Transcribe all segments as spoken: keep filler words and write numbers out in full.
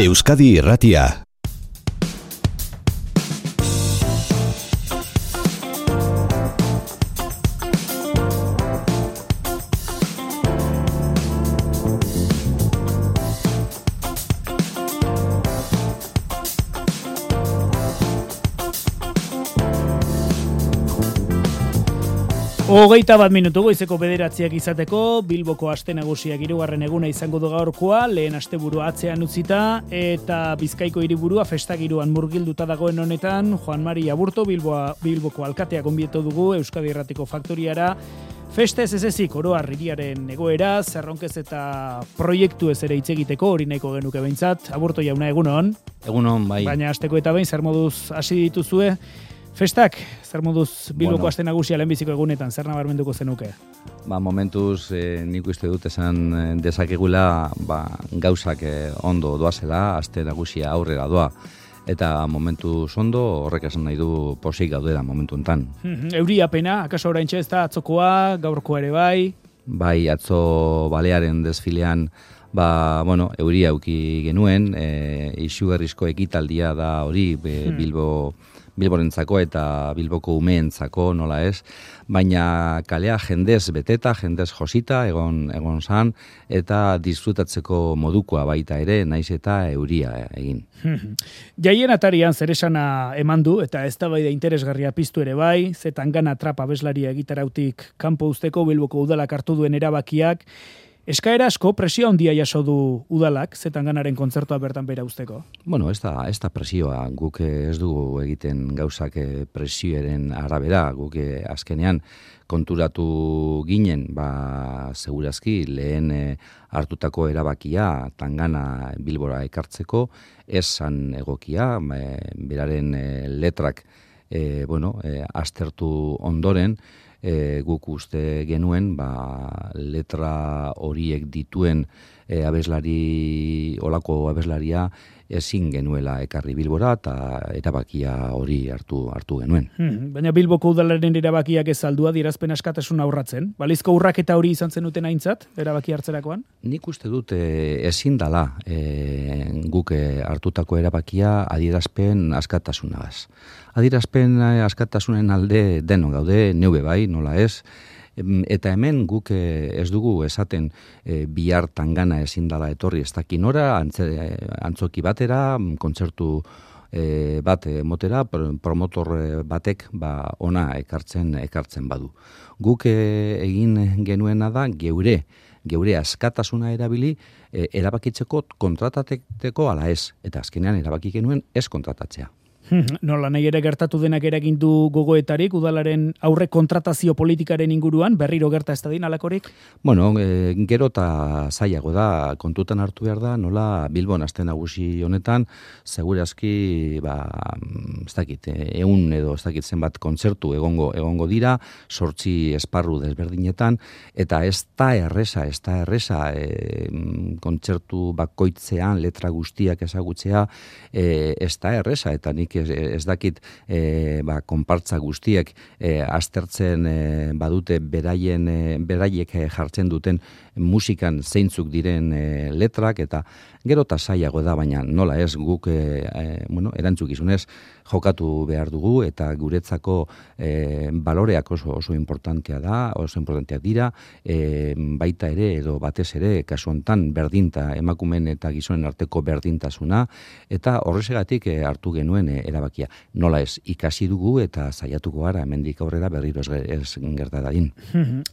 Euskadi Irratia. Hogeita bat minutu goizeko bederatziak izateko, Bilboko aste nagusiak hirugarren eguna izango du gaurkoa, lehen asteburua atzean utzita, eta Bizkaiko hiriburua festagiruan murgilduta dagoen honetan, Juan Mari Aburto, Bilboa, Bilboko alkatea gonbieto dugu, Euskadi Irratiko faktoriara, festez ez ezik oroar hiriaren egoera, zerronkez eta proiektu ez ere hitz egiteko, hori nahiko genuke behintzat. Aburto jauna, egunon? Egunon, bai. Baina asteko eta behin, zer moduz hasi dituzue? Festak, zer moduz Bilboko bueno, aste nagusia lehenbiziko egunetan, zer nabarmenduko zenuke? Ba, momentuz eh, nik uste dut esan dezakegula ba, gauzak eh, ondo doazela, aste nagusia aurrera doa. Eta momentuz ondo horrek esan nahi du posik gaudela momentu enten. Euria pena, akaso oraintxe ez da atzokoa, gaurkoa ere bai? Bai, atzo balearen desfilean ba, bueno, euria auki genuen, e, isugarrizko ekitaldia da hori be, hmm. Bilbo... Bilborentzako eta Bilboko umeentzako, nola ez, baina kalea jendez beteta, jendez josita, egon egon zan, eta disfrutatzeko modukoa baita ere, naiz eta euria egin. Jaien atarian zer esana eman du, eta ez da bai da interesgarria piztu ere bai, zetan gana trapa abeslaria egitarautik kanpo usteko Bilboko udalak hartu duen erabakiak, eskaera asko presio handia jaso du udalak, zetan ganaren kontzertua bertan bera usteko? Bueno, ez da, ez da presioa, guk ez dugu egiten gauzak presioaren arabera, guk azkenean konturatu ginen, ba, segurazki lehen e, hartutako erabakia tangana Bilbora ekartzeko, ez zan egokia, e, beraren e, letrak e, bueno, e, aztertu ondoren, E, guk uste genuen ba, letra horiek dituen e, abeslari, olako abeslaria ezin genuela ekarri Bilbora eta erabakia hori hartu hartu genuen. Hmm, baina Bilboko udalaren erabakiak ez aldua dirazpen askatasun aurratzen. Balizko urraketa hori izan zenuten aintzat, erabaki hartzerakoan? Nik uste dut e, ezin dala e, guk e, hartutako erabakia adierazpen askatasunagaz. Adierazpen askatasunen alde deno gaude, neube bai, nola ez, eta hemen guk ez dugu esaten e, bihar tangana ezin dala etorri ez dakinora, antzoki batera, kontzertu e, bat motera, promotor batek ba, ona ekartzen ekartzen badu. Guk e, egin genuena da geure, geure askatasuna erabili e, erabakitzeko kontratateko ala ez, eta azkenean erabaki genuen ez kontratatzea. Nola nahi ere gertatu denak eragin du gogoetarik, udalaren aurre kontratazio politikaren inguruan, berriro gerta ez da din alakorik? Bueno, e, gero eta zailago da, kontutan hartu behar da, nola Bilbon aste nagusi honetan, segurazki, ba, ez dakit, egun edo ez dakit zenbat kontzertu egongo egongo dira, sortzi esparru desberdinetan, eta ez da erresa, ez da erresa, e, kontzertu bakoitzean, letra guztiak ezagutzea, e, ez da erresa, eta nik ez, ez dakit e, ba, konpartza guztiek e, aztertzen e, badute beraien, e, beraiek jartzen duten musikan zeintzuk diren e, letrak, eta gero eta zailago da, baina nola ez guk e, e, bueno, erantzukizunez jokatu behar dugu, eta guretzako e, baloreak oso oso importantea da, oso importantea dira, e, baita ere edo batez ere kasu hontan berdinta emakumeen eta gizonen arteko berdintasuna, eta horregatik e, hartu genuen e, erabakia. Nola ez, ikasi dugu eta saiatuko gara hemendik aurrera berriro ez, ez gerta dadin.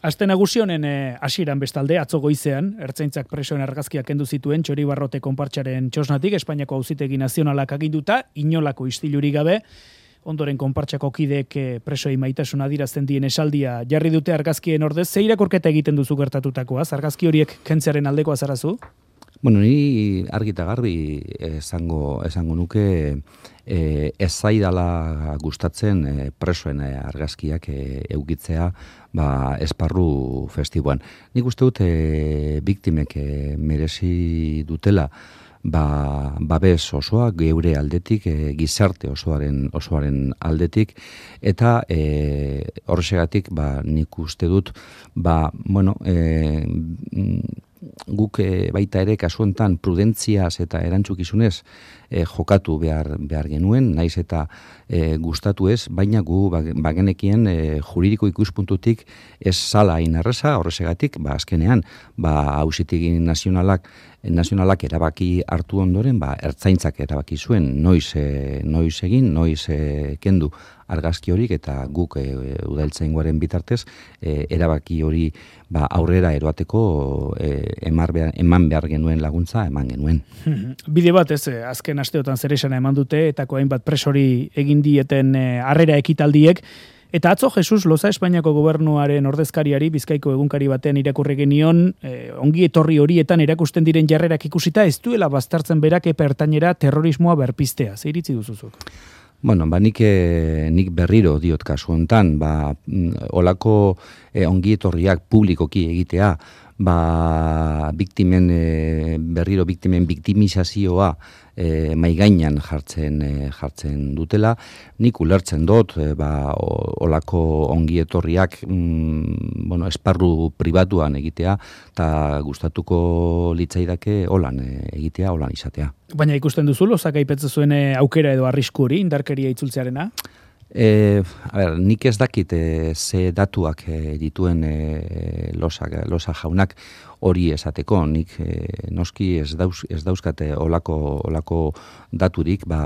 Aste nagusi honen hasieran bestalde atzo goizean ertzaintzak presoen argazkiak kendu zituen Txoribarrote konpartsaren txosnatik, Espainiako Auzitegi Nazionalak aginduta, inolako istilurik gabe. Ondoren konpartsako kideek presoi maitasuna adirazten dien esaldia jarri dute argazkien ordez. Ze irakurketa egiten duzu gertatutakoaz? Argazki horiek kentzearen aldekoa zarazu? Bueno, ni argita garbi esango esango nuke e, ez zaidala gustatzen e, presoen argazkiak e, eukitzea ba, esparru festiboan. Nik uste dut e, biktimek e, merezi dutela ba, babes osoa geure aldetik, e, gizarte osoaren osoaren aldetik, eta e, horregatik ba, nik uste dut ba, bueno, e, guk e, baita ere kasu honetan prudentziaz eta erantzukizunez e, jokatu behar, behar genuen, naiz eta e, gustatu ez, baina gu bagenekien e, juridiko ikuspuntutik ez zala hain erreza, horrezegatik, ba, azkenean, ba, auzitegi nazionalak nazionalak erabaki hartu ondoren, ba, ertzaintzak erabaki zuen noiz, e, noiz egin, noiz e, kendu argazki horik, eta guk e, udaltzaingoaren bitartez e, erabaki hori ba, aurrera eroateko e, emar behar, eman behar genuen laguntza, eman genuen. Bide bat ez, azken asteotan zer esana eman dute, etako hainbat presori egin dieten e, harrera ekitaldiek, eta atzo Jesus Loza Espainiako gobernuaren ordezkariari Bizkaiko egunkari batean irakurri genion, eh, ongi etorri horietan erakusten diren jarrerak ikusita ez duela baztertzen berak epe ertainera terrorismoa berpiztea. Zer iritzi duzuzuk? Bueno, ba, nik, nik berriro diot kasu hontan, ba, olako eh, ongi etorriak publikoki egitea, ba, biktimen, e, berriro biktimen biktimizazioa e, maigainan jartzen, e, jartzen dutela, nik ulertzen dut, e, ba, olako ongi etorriak mm, bueno, esparru pribatuan egitea, eta gustatuko litzaidake holan e, egitea, holan izatea. Baina ikusten duzu, Lozak aipatzen zuen aukera edo arrisku hori, indarkeria itzultzearena? E, a ber, nik ez dakit e, ze datuak e, dituen e, Loza, Loza jaunak hori esateko, nik e, noski ez, dauz, ez dauzkate olako, olako daturik, ba,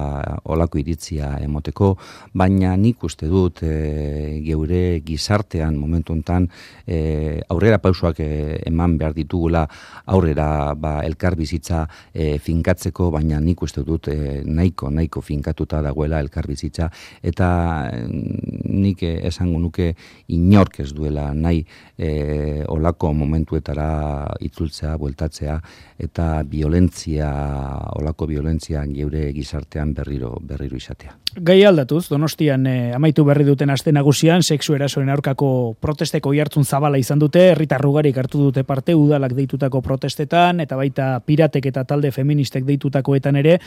olako iritzia emoteko, baina nik uste dut e, geure gizartean momentu hontan e, aurrera pausoak e, eman behar ditugula, aurrera ba, elkar bizitza e, finkatzeko, baina nik uste dut e, nahiko, nahiko finkatuta dagoela elkar bizitza, eta nik esango nuke inork ez duela nahi e, olako momentuetara itzultzea, bueltatzea, eta violentzia, olako violentzia geure gizartean berriro, berriro izatea. Gai aldatuz, Donostian eh, amaitu berri duten aste nagusian, sexu erasoen aurkako protesteko oihartzun zabala izan dute, herritar ugarik hartu dute parte udalak deitutako protestetan, eta baita piratek eta talde feministek deitutakoetan ere,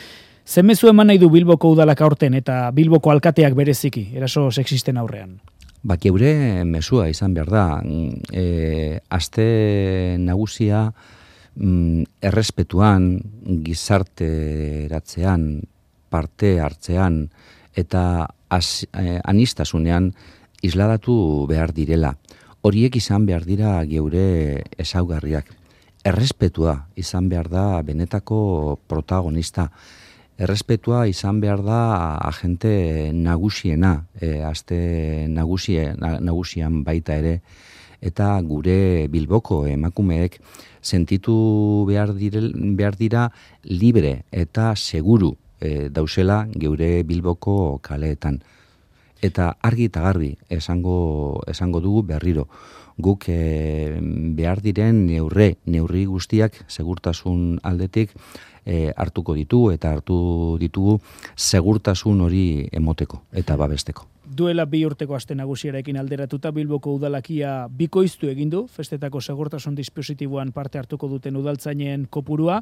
zemezu eman nahi du Bilboko udalak aurten eta Bilboko alkateak bereziki, eraso sexisten aurrean? Bak, geure mesua izan behar da, e, aste nagusia mm, errespetuan, gizarteratzean, parte hartzean, eta az, eh, anistasunean isladatu behar direla. Horiek izan behar dira geure ezaugarriak. Errespetua izan behar da benetako protagonista. Errespetua izan behar da agente nagusiena, e, aste nagusie, nagusian baita ere, eta gure Bilboko emakumeek sentitu behar, direl, behar dira libre eta seguru e, dausela geure Bilboko kaleetan. Eta argi eta garbi esango, esango dugu berriro. Guk e, behar diren neurre, neurri guztiak segurtasun aldetik e, hartuko ditu eta hartu ditugu segurtasun hori emoteko eta babesteko. Duela bi urteko aste nagusiarekin alderatuta Bilboko udalakia bikoiztu egin du, festetako segurtasun dispositiboan parte hartuko duten udaltzainen kopurua.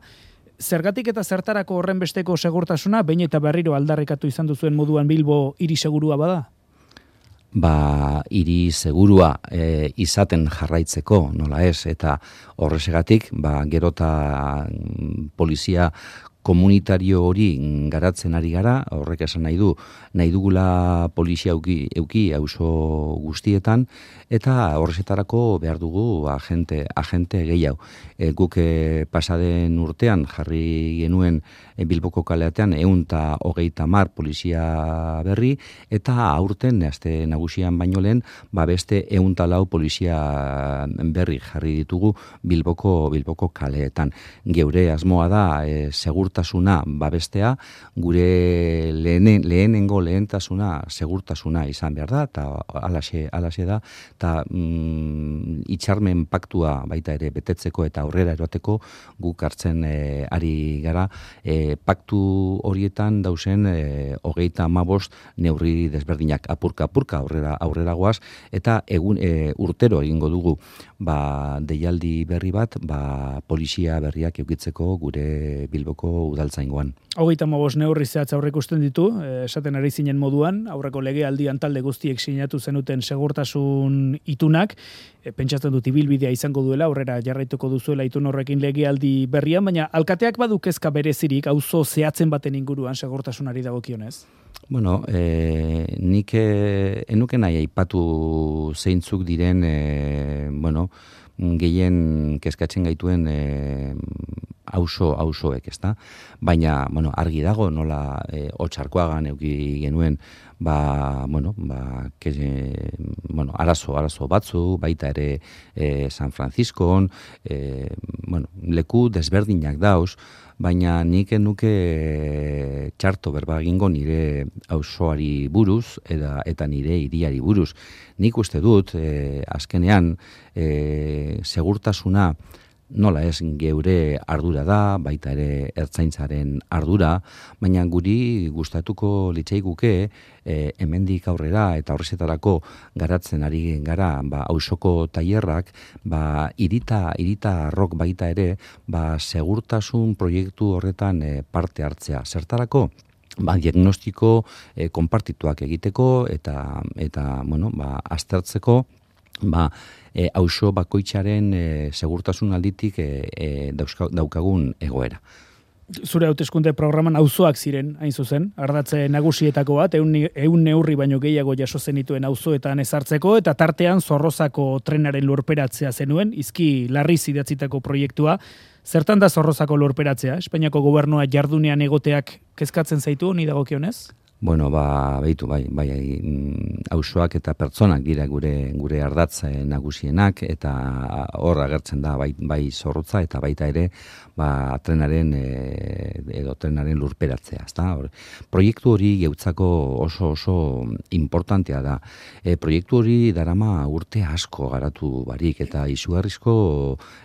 Zergatik eta zertarako horren besteko segurtasuna, behin eta berriro aldarrikatu izan duzuen moduan Bilbo hiri segurua bada? Ba, hiri segurua e, izaten jarraitzeko, nola ez, eta horrezegatik, ba, gerota polizia komunitario hori garatzen ari gara, horrek esan nahi du, nahi dugula polizia euki, euki auzo guztietan, eta horrezetarako behar dugu agente, agente gehiago. E, guk e, pasaden urtean jarri genuen e, Bilboko kaleatean ehun eta hogeita hamar polizia berri, eta aurten aste nagusian baino lehen, ba beste ehun eta lau polizia berri jarri ditugu Bilboko Bilboko kaleetan. Geure asmoa da e, segurtasuna babestea, gure lehenen, lehenengo lehentasuna segurtasuna izan behar da, eta alaxe, alaxe da, eta mm, itxarmen paktua baita ere betetzeko eta aurrera eroteko guk hartzen e, ari gara, e, paktu horietan dausen e, hogeita hamabost neurri desberdinak apurka-apurka aurrera, aurrera goaz, eta egun e, urtero egingo dugu ba, deialdi berri bat, ba, polizia berriak eukitzeko gure Bilboko udaltzaingoan. Hogeita hamabost neurri zehatz aurreikusten ditu, esaten ari zinen moduan, aurreko legealdian talde guztiek sinatu zenuten segurtasun itunak, e, pentsatzen dut ibilbidea izango duela, aurrera jarraituko duzuela itun horrekin legealdi berrian, baina alkateak badu kezka berezirik auzo zehatzen baten inguruan segurtasunari dagokionez? Bueno, e, nik e, enuke nahi aipatu zeintzuk diren, e, bueno, gehien kezkatzen gaituen e, auzo auzoek, ezta? Baina, bueno, argi dago nola e, Otxarkoagan eduki genuen ba, bueno, ba, ke, bueno, arazo, arazo batzu, baita ere e, San Franciscon, e, bueno, leku desberdinak dauz, baina nik nuke txarto berba egingo nire auzoari buruz eta, eta nire hiriari buruz. Nik uste dut, e, azkenean, e, segurtasuna nola ez geure ardura da, baita ere ertzaintzaren ardura, baina guri gustatuko litzaiguke e, hemendik aurrera eta horrezetarako garatzen ari gara ba, auzoko tailerrak ba, irita, irita arrok baita ere ba, segurtasun proiektu horretan e, parte hartzea. Zertarako? Ba, diagnostiko e, konpartituak egiteko eta, eta bueno, ba, aztertzeko ba, e, auzo bakoitzaren e, segurtasun alditik e, e, dauzka, daukagun egoera. Zure hauteskunde programan auzoak ziren, hain zuzen, ardatze nagusietako bat, eun, eun neurri baino gehiago jaso zenituen auzoetan ezartzeko, eta tartean Zorrozako trenaren lurperatzea zenuen, izki larriz idatzitako proiektua. Zertan da Zorrozako lurperatzea? Espainiako gobernua jardunean egoteak kezkatzen zaitu, honi dagokionez? Bueno, ba, behitu, bai, bai, auzoak eta pertsonak dira gure gure ardatz nagusienak, eta hor agertzen da bai, bai Zorrotza eta baita ere ba, trenaren e, edo trenaren lurperatzea, ezta? Proiektu hori geutzako oso oso importantea da. E, proiektu hori darama urte asko garatu barik eta izugarrizko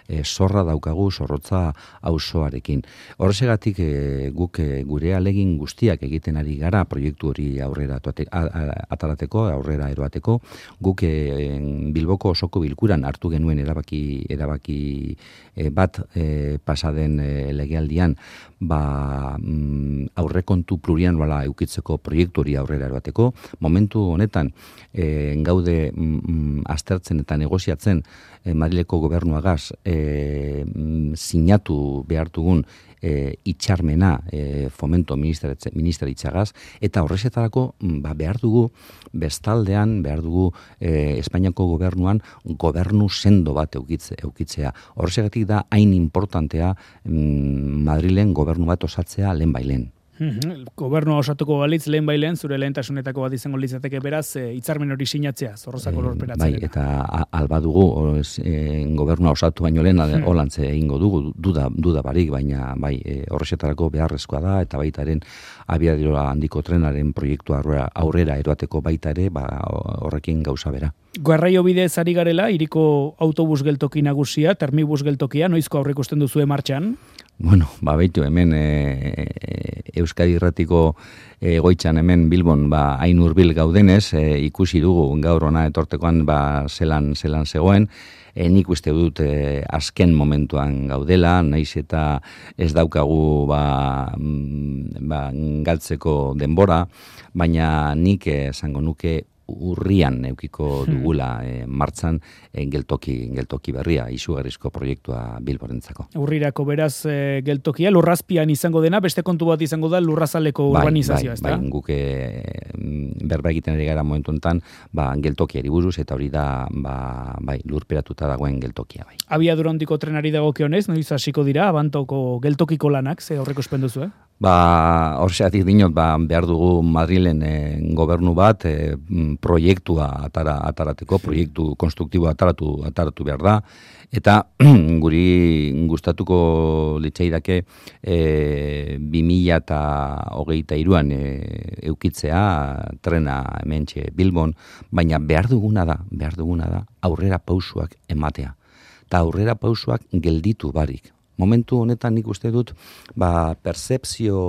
e, zorra daukagu Zorrotza auzoarekin. Horregatik e, guk e, gure alegin guztiak egiten ari gara proiektu hori aurrera atarateko, aurrera eroateko, guk e, Bilboko osoko bilkuran hartu genuen erabaki erabaki e, bat e, pasaden e, legealdian ba, mm, aurrekontu plurianuala eukitzeko proiektu hori aurrera eroateko. Momentu honetan e, gaude mm, aztertzen eta negoziatzen e, Madrileko gobernuagaz e, mm, sinatu behartugun E, itxarmena e, fomento ministeritzagaz, eta horrezetarako ba, behar dugu bestaldean, behar dugu e, Espainiako gobernuan gobernu sendo bat eukitze, eukitzea. Horrezegatik da hain importantea mm, Madrilen gobernu bat osatzea lehen bailen. Gobernua osatuko balitz lehen bailen, zure lehentasunetako bat izango litzateke beraz, e, hitzarmen hori sinatzea, Zorrozako lurperatzea. Bai, eta alba dugu, e, gobernua osatu baino lehen, hmm. holantze egingo dugu, duda, duda barik, baina bai, e, horrezetarako beharrezkoa da, eta baitaren abiadura handiko trenaren proiektu aurrera, aurrera eroateko baita ere, ba, horrekin gauza bera. Garraio bidez ari garela, hiriko autobus geltoki nagusia, termibus geltokia, noizko aurreikusten duzue martxan? Bueno, ba, baitu, hemen e, Euskadi Irratiko egoitzan hemen Bilbon ba, hain hurbil gaudenez, e, ikusi dugu gaur ona etortekoan ba, zelan, zelan zegoen, e, nik uste dut e, azken momentuan gaudela, naiz eta ez daukagu ba, ba, galtzeko denbora, baina nik esango nuke urrian eukiko dugula e, martzan e, geltoki, geltoki berria, izugarrizko proiektua Bilborentzako. Urrirako beraz e, geltokia, lurrazpian izango dena, beste kontu bat izango da lurrazaleko bai, urbanizazioa, bai, ezta? Bai, guke berba egiten ari gara momentu enten, ba, geltokiari buruz, eta hori da ba, bai, lurperatuta dagoen geltokia. Bai. Abiadura handiko trenari dagokionez, noiz hasiko dira, Abantoko geltokiko lanak, ze horreko espenduzu, eh? Ba, horxeatik dinot, ba, behar dugu Madrilen e, gobernu bat e, proiektua atara, atarateko, proiektu konstruktiboa ataratu, ataratu behar da, eta guri gustatuko litzaidake e, bi mila hogeita hiruan e, eukitzea trena hementxe Bilbon, baina behar duguna da, behar duguna da aurrera pausuak ematea, eta aurrera pausuak gelditu barik. Momentu honetan nik uste dut ba, percepzio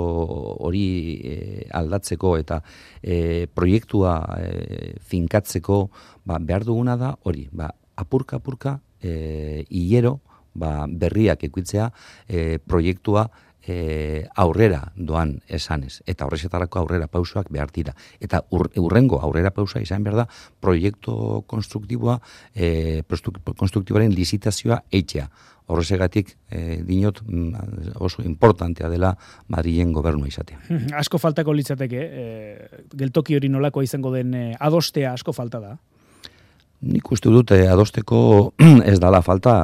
hori e, aldatzeko eta e, proiektua e, finkatzeko ba, behar duguna da hori, ba, apurka-apurka e, hilero ba, berriak ekuitzea e, proiektua e, aurrera doan esanez, eta horrezetarako aurrera pausoak behar dira. Eta ur, urrengo aurrera pausa izan behar da proiektu konstruktiboa, e, konstruktiboaren lizitazioa eitzea. Horrezegatik e, dinot oso importantea dela Madrilen gobernua izatea. Asko faltako litzateke, e, geltoki hori nolako izango den e, adostea asko falta da? Nik uste dut eh, adosteko ez dala falta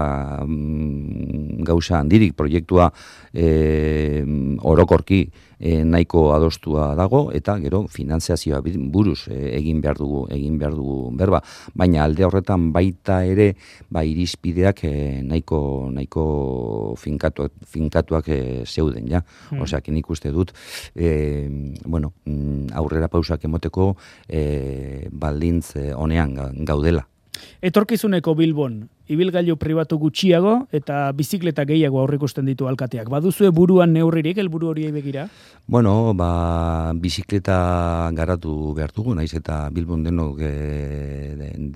mm, gauza handirik proiektua eh, orokorki eh, nahiko adostua dago eta gero finantziazioa buruz eh, egin behar dugu egin behar dugu berba, baina alde horretan baita ere ba irizpideak eh, nahiko nahiko finkatuak finkatuak eh, zeuden ja. Hmm. Osea, nik uste dut eh, bueno, aurrera pausak emoteko eh, baldintz eh, honean gaudela. Etorkizuneko Bilbon, ibilgailu pribatu gutxiago eta bizikleta gehiago aurreikusten ditu alkateak. Baduzue buruan neurririk helburu horiei begira? Bueno, ba, bizikleta garatu behar dugu, naiz eta Bilbon denok e,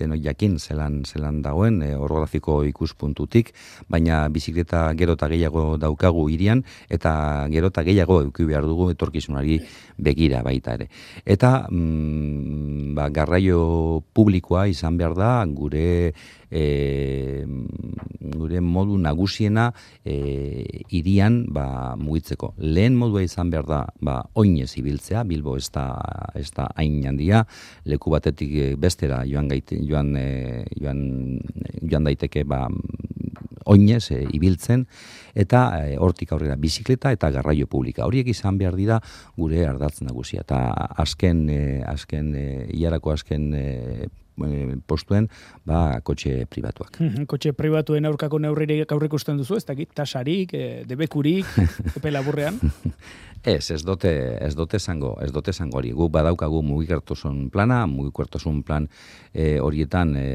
denok jakin zelan zelan dagoen, e, orografiko ikuspuntutik, baina bizikleta gero eta gehiago daukagu hirian eta gero eta gehiago eduki behar dugu etorkizunari begira baita ere. Eta mm, ba, garraio publikoa izan behar da gure E, gure modu nagusiena e, irian ba, mugitzeko. Lehen modua izan behar da ba, oinez ibiltzea, Bilbo ez da, ez da hain handia, leku batetik bestera joan, gaite, joan, e, joan, joan daiteke ba, oinez e, ibiltzen, eta e, hortik aurrera bizikleta eta garraio publika. Horiek izan behar dira gure ardatz nagusia. Eta azken, e, azken e, iarako azken e, postuen ba, kotxe pribatuak. Kotxe pribatuen aurkako neurririk aurreikusten duzu, ez dakit, tasarik, e, debekurik, epe laburrean? Ez, ez dote, ez dote zango, ez dote zango hori. Guk badaukagu mugikortasun plana, mugikortasun plan e, horietan e,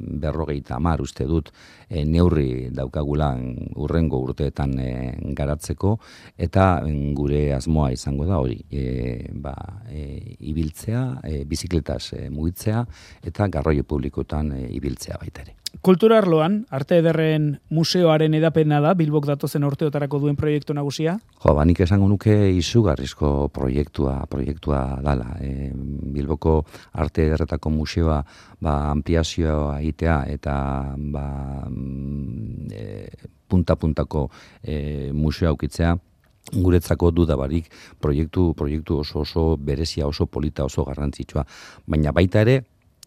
berrogeita hamar uste dut e, neurri daukagula urrengo urteetan e, garatzeko, eta gure asmoa izango da hori. E, ba, e, ibiltzea, e, bizikletaz e, mugitzea, eta garraio publikoetan e, ibiltzea baita ere. Kultura arloan, Arte Ederren museoaren edapena da, Bilbok datozen urteotarako duen proiektu nagusia? Jo, ba, nik esango nuke izugarrizko proiektua, proiektua dala. E, Bilboko Arte Ederretako museoa ba, ampliazioa egitea eta ba, e, punta-puntako e, museoa aukitzea, guretzako dudabarik proiektu, proiektu oso oso berezia, oso polita, oso garrantzitsua. Baina baita ere,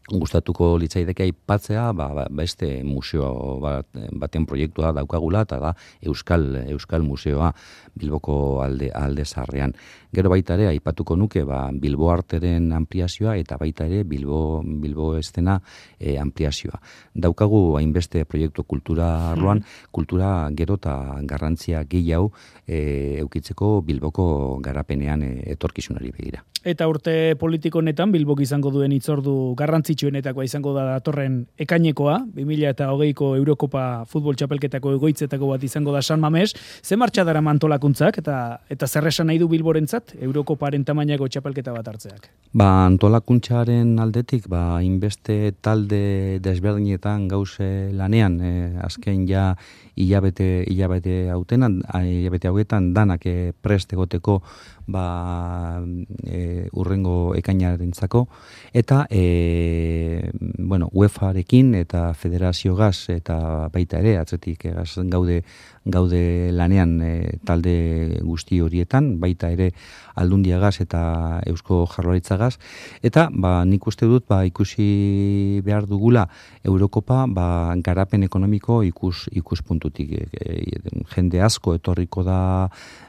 gustatuko litzaideke aipatzea ba, beste museo bat, baten proiektua daukagula, eta da Euskal Euskal Museoa Bilboko alde alde zaharrean. Gero baita ere aipatuko nuke ba, Bilbo Arteren ampliazioa eta baita ere Bilbo Bilbo Estena e, ampliazioa. Daukagu hainbeste proiektu kultura arloan, hmm. kultura gero eta garrantzia gehiago e, eukitzeko Bilboko garapenean e, etorkizunari begira. Eta urte politiko honetan Bilbok izango duen hitzordu garrantzitsuenetakoa izango da datorren ekainekoa, bi mila hogeiko Eurokopa futbol txapelketako egoitzetako bat izango da San Mames. Ze martxa dara antolakuntzak eta eta zer esan nahi du Bilborentzat Eurokoparen tamainako txapelketa bat hartzeak? Ba, antolakuntzaren aldetik, ba, inbeste talde desberdinetan gauze lanean, e, azken ja hilabete hilabete hautenan, hilabete hauetan danak e, prest egoteko ba, e, urrengo ekainarentzako, eta e, bueno, UEFArekin eta Federazio Gaz eta baita ere, atzetik gaz gaude gaude lanean e, talde guzti horietan, baita ere Aldundia Gaz eta Eusko Jaurlaritza Gaz, eta ba, nik uste dut ba, ikusi behar dugula Eurokopa ba, garapen ekonomiko ikus, ikuspuntutik. E, e, jende asko etorriko da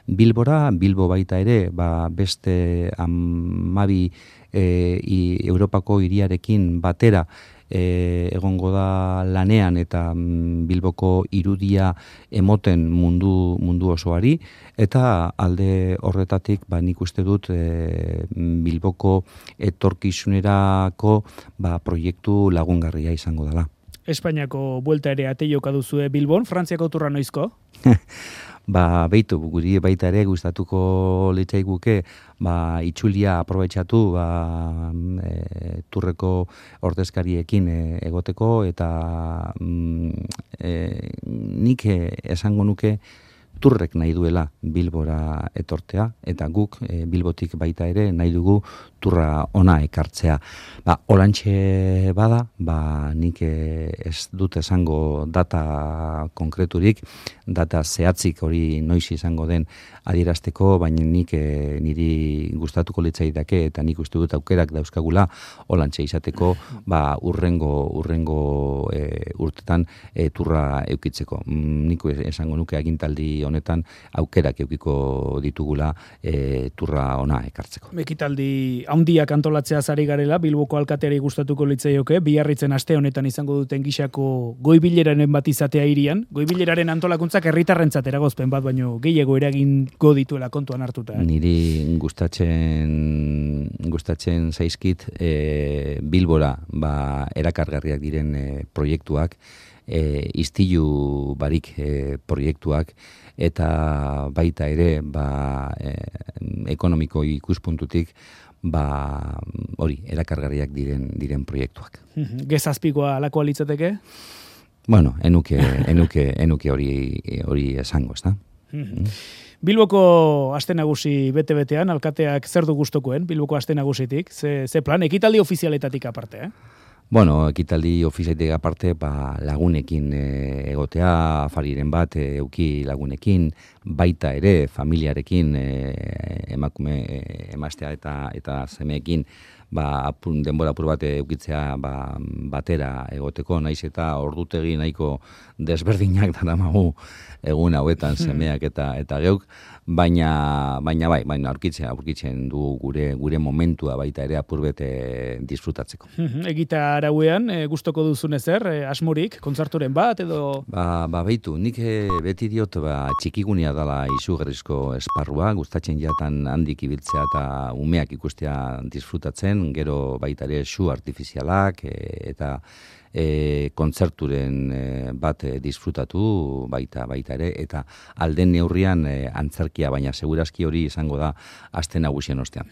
Bilbora, Bilbo baita ere ba, beste amabi e, i, Europako hiriarekin batera E, egongo da lanean eta mm, Bilboko irudia emoten mundu mundu osoari, eta alde horretatik ba, nik uste dut e, Bilboko etorkizunerako ba, proiektu lagungarria izango dela. Espainiako buelta ere ate joka duzue Bilbon, Frantziako turra noizko? Ba, beitu, guri baita ere gustatuko litzaiguke ba, itxulia aprobetxatu ba, e, turreko ordezkariekin e, egoteko, eta mm, e, nik esango nuke turrek nahi duela Bilbora etortea, eta guk e, Bilbotik baita ere nahi dugu turra ona ekartzea. Ba, olantxe bada, ba, nik ez dut esango data konkreturik, data zehatzik hori noiz izango den adierazteko, baina nik e, niri gustatuko litzaidake eta nik uste dut aukerak dauzkagula olantxe izateko, ba, urrengo, urrengo e, urtetan e, turra eukitzeko. Mm, nik esango nuke agintaldi honetan aukerak eukiko ditugula e, turra ona ekartzeko. Ekitaldi handiak antolatzea ari garela, Bilboko alkateari gustatuko litzaioke, Biarritzen aste honetan izango duten gisako goibileraren bat izatea hirian. Goibileraren antolakuntzak herritarrentzat eragozpen bat, baino gehiago eragingo dituela kontuan hartuta. Eh? Niri gustatzen gustatzen zaizkit e, Bilbora ba, erakargarriak diren e, proiektuak, e, istilu barik e, proiektuak, eta baita ere ba, e, ekonomiko ikuspuntutik ba, hori, erakargarriak diren diren proiektuak. Gezazpikoa alakoa litzateke? Bueno, enuke, enuke, enuke hori, hori esango, ez da? Bilboko aste nagusi bete-betean, alkateak zer du gustokoen, Bilboko aste nagusitik? Ze, ze plan, ekitaldi ofizialetatik aparte, eh? Bueno, ekitaldi ofizialetik aparte, ba, lagunekin e, egotea, afariren bat, e, euki lagunekin, baita ere, familiarekin, e, emakume, e, emaztea eta, eta semeekin, ba, apun, denbora apur bat eukitzea ba, batera egoteko, naiz eta ordutegi nahiko desberdinak daramagu egun hauetan semeak eta eta geuk, baina baina bai, baina aurkitzen, aurkitzen du gure gure momentua baita ere apurbete disfrutatzeko. Egita arauean, e, gustoko duzun ezer, e, asmorik, kontzerturen bat edo? Ba, ba beitu, nik beti diot ba, txikigunia dela izugarrizko esparrua, gustatzen jatan handik ibiltzea eta umeak ikustea disfrutatzen, gero baita ere su artifizialak e, eta e, kontzerturen e, bat e, disfrutatu baita baita ere, eta alden neurrian e, antzerkia, baina segurazki hori izango da aste nagusien ostean.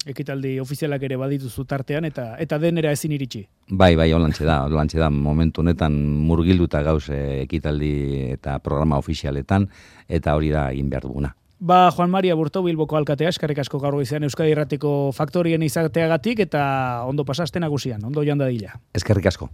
Ekitaldi ofizialak ere badituzu tartean eta eta denera ezin iritsi. Bai, bai, holantxe da, holantxe da, momentu honetan murgilduta gauz e, ekitaldi eta programa ofizialetan, eta hori da egin behar duguna. Ba, Juan Maria Burto, Bilboko alkatea, eskerrik asko gaur goizean Euskadi Irratiko faktorien izateagatik eta ondo pasa aste nagusian, ondo joan dadila. Eskerrik asko.